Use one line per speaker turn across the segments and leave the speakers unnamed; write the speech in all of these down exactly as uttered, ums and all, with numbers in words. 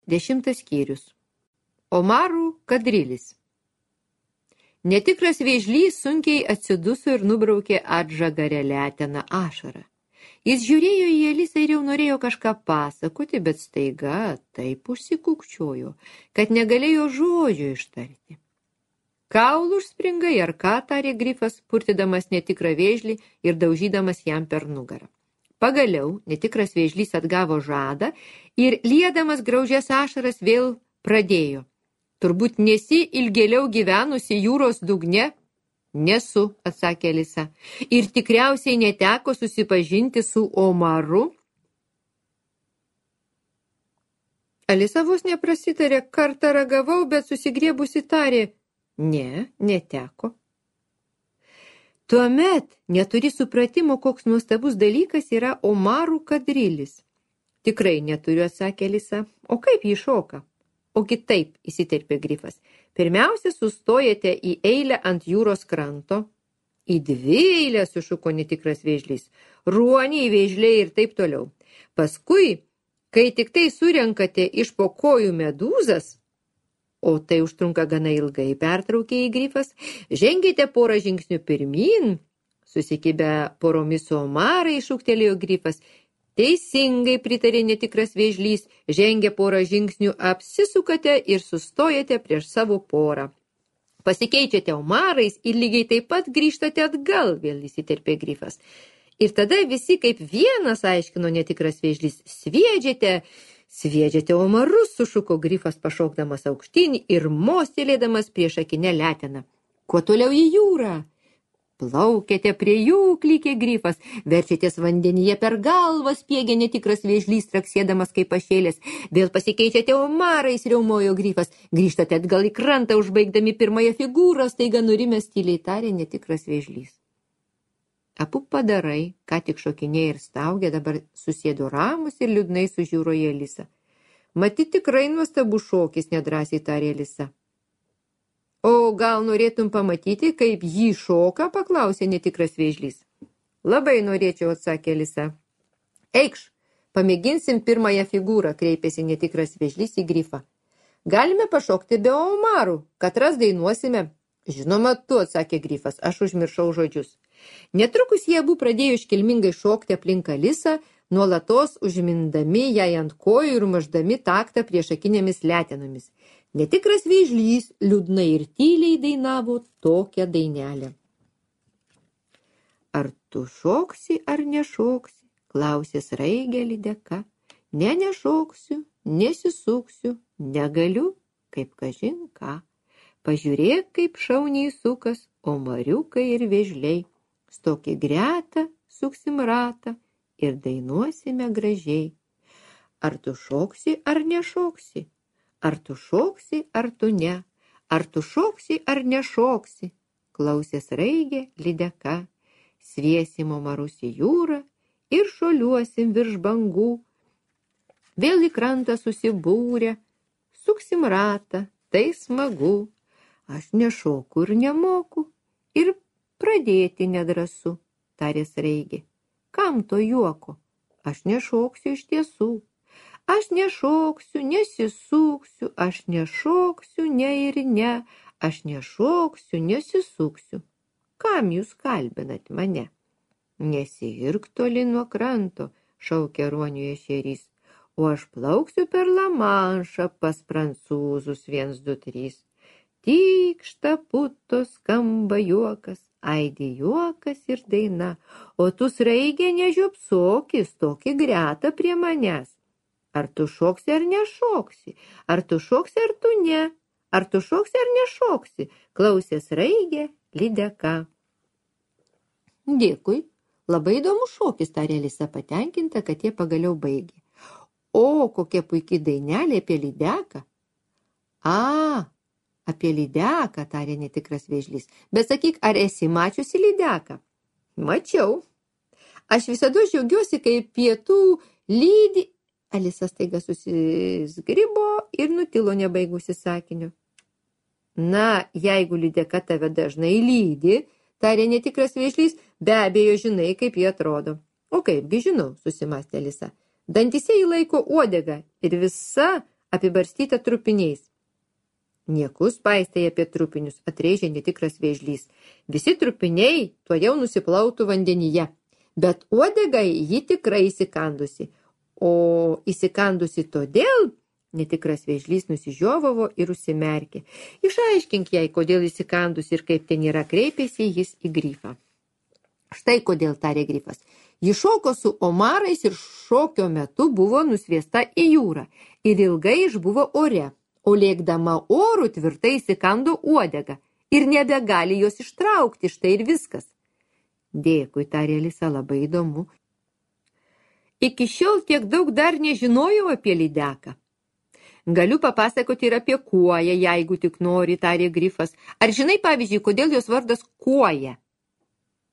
Dešimtas skyrius. Omarų kadrilis. Netikras vėžlys sunkiai atsiduso ir nubraukė atžagarę leteną ašarą. Jis žiūrėjo į Elisą ir jau norėjo kažką pasakoti, bet staiga taip užsikukčiojo, kad negalėjo žodžio ištarti. Kaulų užspringai ar ką, tarė grifas, purtydamas netikrą vėžlį ir daužydamas jam per nugarą. Pagaliau netikras vėžlys atgavo žadą ir liedamas graužias ašaras vėl pradėjo. Turbūt nesi ilgėliau gyvenusi jūros dugne? Nesu, atsakė Elisa. Ir tikriausiai neteko susipažinti su Omaru? Elisa vos neprasitarė, kartą ragavau, bet susigriebusi tarė, ne, neteko. Tuomet neturi supratimo, koks nuostabus dalykas yra Omarų kadrilis. Tikrai neturiu, atsakė Elisa. O kaip jį šoka? Ogi taip, įsiterpė grifas. Pirmiausia, sustojate į eilę ant jūros kranto. Į dvi eilę, sušuko netikras vėžlys. Ruoniai, vėžliai ir taip toliau. Paskui, kai tik tai surenkate iš po kojų medūzas, o tai užtrunka gana ilgai, pertraukė į grifas, žengėte porą žingsnių pirmyn, susikibę poromis su omarai, šūktelėjo grifas. Teisingai, pritarė netikras vėžlys, žengė porą žingsnių, apsisukate ir sustojate prieš savo porą. Pasikeičiate omarais ir lygiai taip pat grįžtate atgal, vėl įsiterpė grifas. Ir tada visi kaip vienas, aiškino netikras vėžlys, sviedžiate, sviedžiate omarus, sušuko grifas pašokdamas aukštyn ir mostelėdamas priešakinę leteną. Kuo toliau į jūrą? Plaukėte prie jų, klykė grifas, verčiatės vandenyje per galvą, spiegė netikras vėžlys, traksėdamas kaip pašėlės. Vėl pasikeičiate omarais, riaumojo grifas, grįžtate atgal į krantą, užbaigdami pirmąją figūrą, staiga nurimęs tyliai tarė netikras vėžlys. Abu padarai, ką tik šokinėja ir staugė, dabar susėdo ramus ir liūdnai sužiūro į Elisą. Matyt, tikrai nuostabus šokis, nedrąsiai tarė Elisa. O gal norėtum pamatyti, kaip jį šoka, paklausė netikras vėžlys. Labai norėčiau, atsakė Elisa. Eikš, pamėginsim pirmąją figūrą, kreipėsi netikras vėžlys į grifą. Galime pašokti be omarų, katras dainuosime. Žinoma, tu, atsakė grifas, aš užmiršau žodžius. Netrukus jie abu pradėjo iškilmingai šokti aplink Elisą, nuolatos užmindami jai ant kojų ir maždami taktą priešakinėmis letenomis. Netikras vėžlys liūdnai ir tyliai dainavo tokią dainelę. Ar tu šoksi ar nešoksi, klausė sraigė lydeka. Ne, nešoksiu, nesisuksiu, negaliu, kaip kažin ką. Pažiūrėk, kaip šauniai sukas omariukai ir vėžliai. Stok į gretą, suksim ratą ir dainuosime gražiai. Ar tu šoksi ar nešoksi? Ar tu šoksi, ar tu ne? Ar tu šoksi, ar nešoksi? Klausė sraigė lydeka. Sviesim omarus į jūrą ir šuoliuosim virš bangų. Vėl į krantą susibūrę, suksim ratą, tai smagu. Aš nešoku ir nemoku ir pradėti nedrąsu, tarė sraigė. Kam to juoko? Aš nešoksiu iš tiesų. Aš nešoksiu, nesisuksiu, aš nešoksiu, ne ir ne, aš nešoksiu, nesisuksiu. Kam jūs kalbinat mane? Nesirk toli nuo kranto, šaukė ruonių ešerys, o aš plauksiu per Lamanšą pas prancūzus viens, du, trys. Tykšta puto skamba juokas, aidi juokas ir daina, o tu sraigė nežiopsoki, stoki gretą prie manęs. Ar tu šoksi ar nešoksi? Ar tu šoksi ar tu ne? Ar tu šoksi ar nešoksi? Klausė sraigė lydeka. Dėkui, labai įdomus šokis, tarė Elisa patenkinta, kad jie pagaliau baigė. O, kokia puikiai dainelė apie lydeką. A, apie lydeką, tarė netikras vėžlys. Bet sakyk, ar esi mačiusi lydeką? Mačiau. Aš visada džiaugiuosi, kai pietų lydi. Elisa staiga susizgribo ir nutilo nebaigusi sakinio. Na, jeigu lydeka tave dažnai lydi, tarė netikras vėžlys, be abejo žinai, kaip jie atrodo. O kaipgi žinau, susimastė Elisa. Dantyse jį laiko uodega ir visa apibarstyta trupiniais. Niekus paistai apie trupinius, atrėžė netikras vėžlys. Visi trupiniai tuo jau nusiplautų vandenyje, bet uodegai ji tikrai įsikandusi. O įsikandusi todėl, netikras vėžlys nusižiovavo ir užsimerkė. Išaiškink jai, kodėl įsikandusi ir kaip ten yra, kreipėsi jis į grifą. Štai kodėl, tarė grifas. Ji šoko su omarais ir šokio metu buvo nusviesta į jūrą ir ilgai išbuvo ore, o lėkdama oru tvirtai įsikando uodegą ir nebegali jos ištraukti, štai ir viskas. Dėkui, tarė Alisa, labai įdomu. Iki šiol tiek daug dar nežinojau apie lydeką. Galiu papasakoti ir apie kuoją, jeigu tik nori, tarė grifas. Ar žinai, pavyzdžiui, kodėl jos vardas kuoja?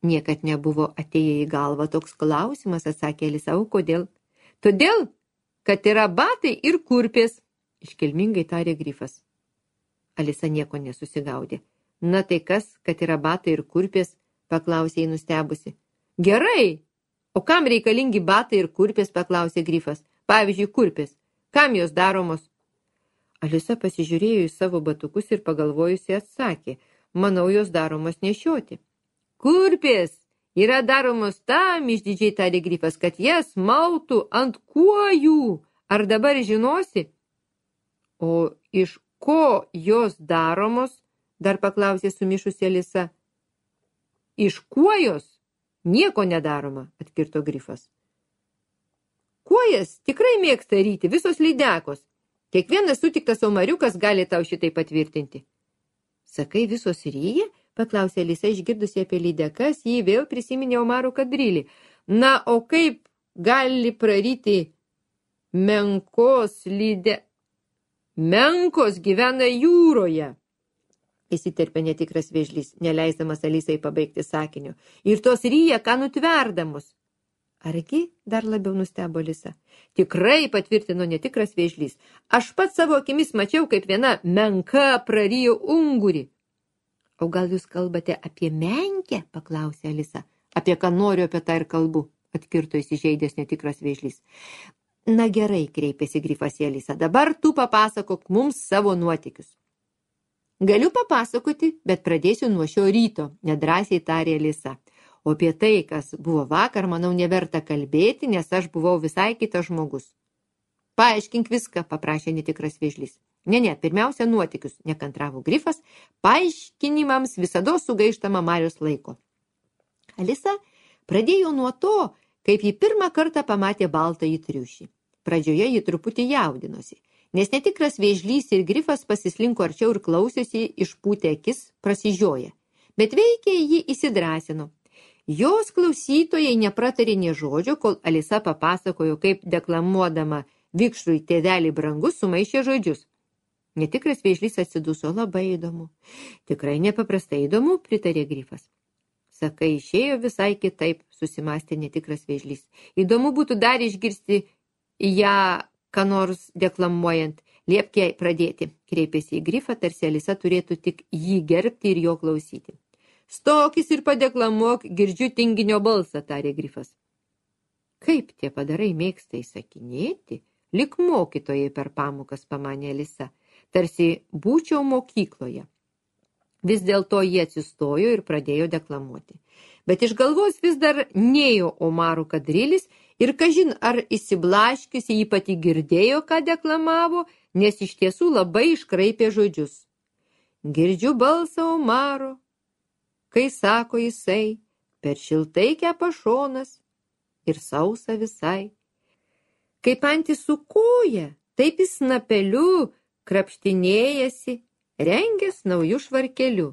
Niekad nebuvo atėję į galvą toks klausimas, atsakė Alisa, o kodėl? Todėl, kad yra batai ir kurpės, iškilmingai tarė grifas. Alisa nieko nesusigaudė. Na tai kas, kad yra batai ir kurpės, paklausė jį nustebusi. Gerai, o kam reikalingi batai ir kurpės, paklausė grifas. Pavyzdžiui, kurpės, kam jos daromos? Alisa pasižiūrėjo į savo batukus ir pagalvojusi atsakė, manau, jos daromos nešioti. Kurpės yra daromos tam, išdidžiai tarė grifas, kad jas mautų ant kuojų. Ar dabar žinosi? O iš ko jos daromos? Dar paklausė sumišusi Alisa. Iš kuojos nieko nedaroma, atkirto grifas. Kuojas tikrai mėgsta ryti, visos lydekos. Kiekvienas sutiktas omariukas gali tau šitai patvirtinti. Sakai, visos ryja? Paklausė Alisa, išgirdusi apie lydekas, jį vėl prisiminė omarų kadrilį. Na, o kaip gali praryti menkos lyde... Menkos gyvena jūroje, įsiterpė netikras vėžlys, neleisdamas Alisai pabaigti sakinio. Ir tos ryja, ką nutverdamos. Argi, dar labiau nustebo Alisa. Tikrai, patvirtino netikras vėžlys. Aš pats savo akimis mačiau, kaip viena menka prarijo ungurį. O gal jūs kalbate apie menkę, paklausė Alisa. Apie ką noriu, apie tą ir kalbu, atkirto įsižeidęs netikras vėžlys. Na gerai, kreipėsi grifas į Alisą, dabar tu papasakok mums savo nuotykius. Galiu papasakoti, bet pradėsiu nuo šio ryto, nedrąsiai tarė Alisa. O apie tai, kas buvo vakar, manau, neverta kalbėti, nes aš buvau visai kitas žmogus. Paaiškink viską, paprašė netikras vėžlys. Ne, ne, pirmiausia nuotykius, nekantravo grifas, paaiškinimams visada sugaištama Marios laiko. Alisa pradėjo nuo to, kaip ji pirmą kartą pamatė baltąjį triušį. Pradžioje ji truputį jaudinosi, nes netikras vėžlys ir grifas pasislinko arčiau ir klausėsi išpūtę akis, prasižioję. Bet veikiai ji įsidrąsino. Jos klausytojai nepratarė nė žodžio, kol Alisa papasakojo, kaip deklamuodama vikšrui tėvelį brangus sumaišė žodžius. Netikras vėžlys atsiduso, labai įdomu. Tikrai nepaprastai įdomu, pritarė grifas. Sakai, išėjo visai kitaip, susimastė netikras vėžlys. Įdomu būtų dar išgirsti ją, ką nors deklamuojant. Liepk jai pradėti, kreipėsi į grifą, tarsi Alisa turėtų tik jį gerbti ir jo klausyti. Stokis ir padeklamuok, girdžiu tinginio balsą, tarė grifas. Kaip tie padarai mėgsta įsakinėti, lik mokytojai per pamokas, pamanė Alisa. Tarsi būčiau mokykloje. Vis dėlto jie atsistojo ir pradėjo deklamuoti. Bet iš galvos vis dar nėjo omarų kadrilis ir kažin ar įsiblaškiusi jį pati girdėjo, ką deklamavo, nes iš tiesų labai iškraipė žodžius. Girdžiu balsą omaro, kai sako jisai, per šiltai kepa šonas ir sausa visai. Kaip antis su koja, taip jis snapeliu krapštinėjasi, rengęs naujų švarkelių.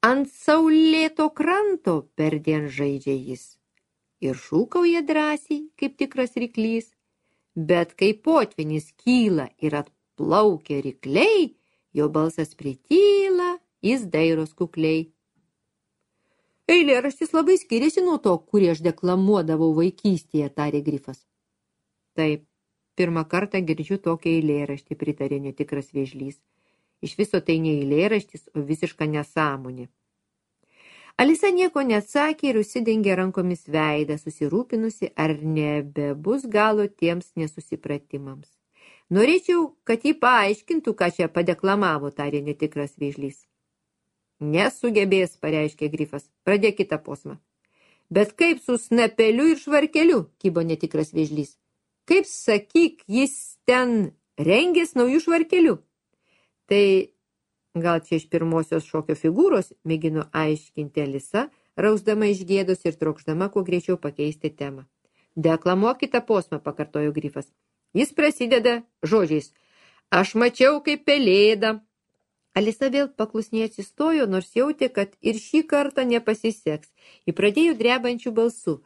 Ant saulėto kranto perdien žaidžia jis. Ir šūkauja drąsiai, kaip tikras ryklys. Bet kai potvynis kyla ir atplaukia rykliai, jo balsas prityla, jis dairos kukliai. Eilėraštis labai skiriasi nuo to, kurį aš deklamuodavau vaikystėje, tarė grifas. Taip. Pirmą kartą girdžiu tokią eilėraštį, pritarė netikras vėžlys. Iš viso tai ne eilėraštis, o visiška nesąmonė. Alisa nieko neatsakė ir užsidengė rankomis veidą, susirūpinusi, ar nebebus galo tiems nesusipratimams. Norėčiau, kad jį paaiškintų, ką čia padeklamavo, tarė netikras vėžlys. Nesugebės, pareiškė grifas. Pradėk kitą posmą. Bet kaip su snapeliu ir švarkeliu, kybo netikras vėžlys. Kaip, sakyk, jis ten rengės naujų švarkelių. Tai gal čia iš pirmosios šokio figūros, mėgino aiškinti Alisa, rausdama iš gėdos ir trokšdama kuo greičiau pakeisti temą. Deklamuok kitą posmą, pakartojo grifas. Jis prasideda žodžiais. Aš mačiau kaip pelėda. Alisa vėl paklusniai atsistojo, nors jautė, kad ir šį kartą nepasiseks. Ji pradėjo drebančių balsų.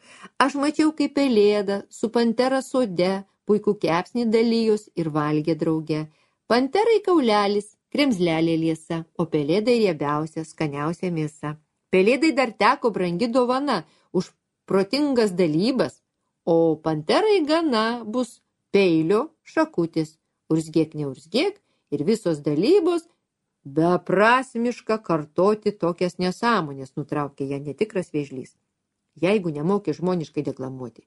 Aš mačiau kaip pelėda, su pantera sode, puikų kepsnį dalijos ir valgė drauge. Panterai kaulelis, kremzlelė liesa, o pelėdai riebiausia, skaniausia mėsa. Pelėdai dar teko brangi dovana už protingas dalybas, o panterai gana bus peilio šakutis. Urzgėk, neurzgėk ir visos dalybos beprasmiška kartoti tokias nesąmonės, nutraukė ją netikras vėžlys. Jeigu nemoki žmoniškai deklamuoti.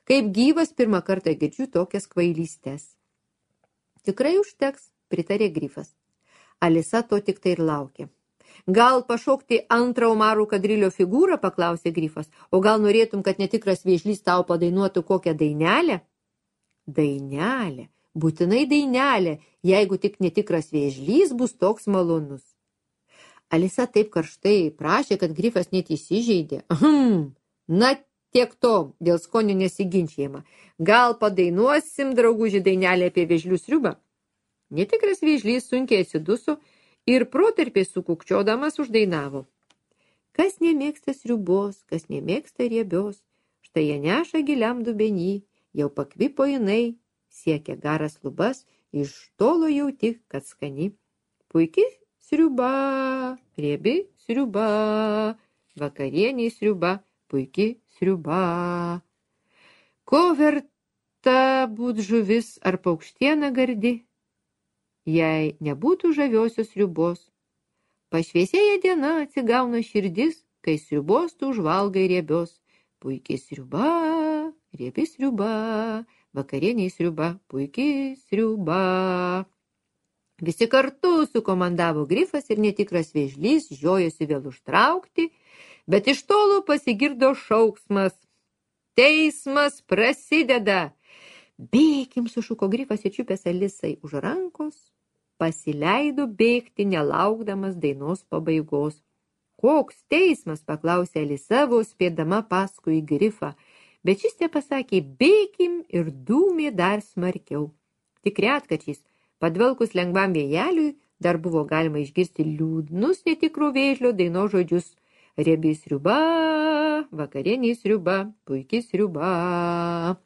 Kaip gyvas pirmą kartą girdžiu tokias kvailystes. Tikrai užteks, pritarė grifas. Alisa to tik tai ir laukė. Gal pašokti antrą Omarų kadrilio figūrą, paklausė grifas, o gal norėtum, kad netikras vėžlys tau padainuotų kokią dainelę? Dainelė, būtinai dainelė, jeigu tik netikras vėžlys bus toks malonus. Alisa taip karštai prašė, kad grifas net įsižeidė. Ahm, na tiek to, dėl skonio nesiginčiama. Gal padainuosim, drauguži, dainelę apie vėžlių sriubą? Netikras vėžlys sunkiai atsiduso ir protarpiai sukukčiodamas uždainavo. Kas nemėgsta sriubos, kas nemėgsta riebios, štai ją neša giliam dubenį, jau pakvipo jinai, siekia garas lubas, iš tolo jauti, kad skani. Puiki sriuba, riebi sriuba, vakarieniai sriuba, puiki sriuba. Ko verta būt žuvis ar paukštiena gardi, jei nebūtų žaviosios sriubos? Pašviesėja diena, atsigauna širdis, kai sriubos tu užvalgai riebios. Puiki sriuba, riebi sriuba, vakarieniai sriuba, puiki sriuba. Visi kartu sukomandavo grifas ir netikras vėžlys, žiojosi vėl užtraukti, bet iš tolo pasigirdo šauksmas. Teismas prasideda. Bėkim, sušuko grifas ir čiupęs Alisai už rankos, pasileido bėgti, nelaukdamas dainos pabaigos. Koks teismas, paklausė Alisa, vos spėdama paskui grifą, bet šis tepasakė bėkim ir dūmė dar smarkiau. Tik retkarčiais, padvelkus lengvam vėjeliui, dar buvo galima išgirsti liūdnus netikro vėžlio dainos žodžius. Riebi sriuba, vakarieniai sriuba, puiki sriuba.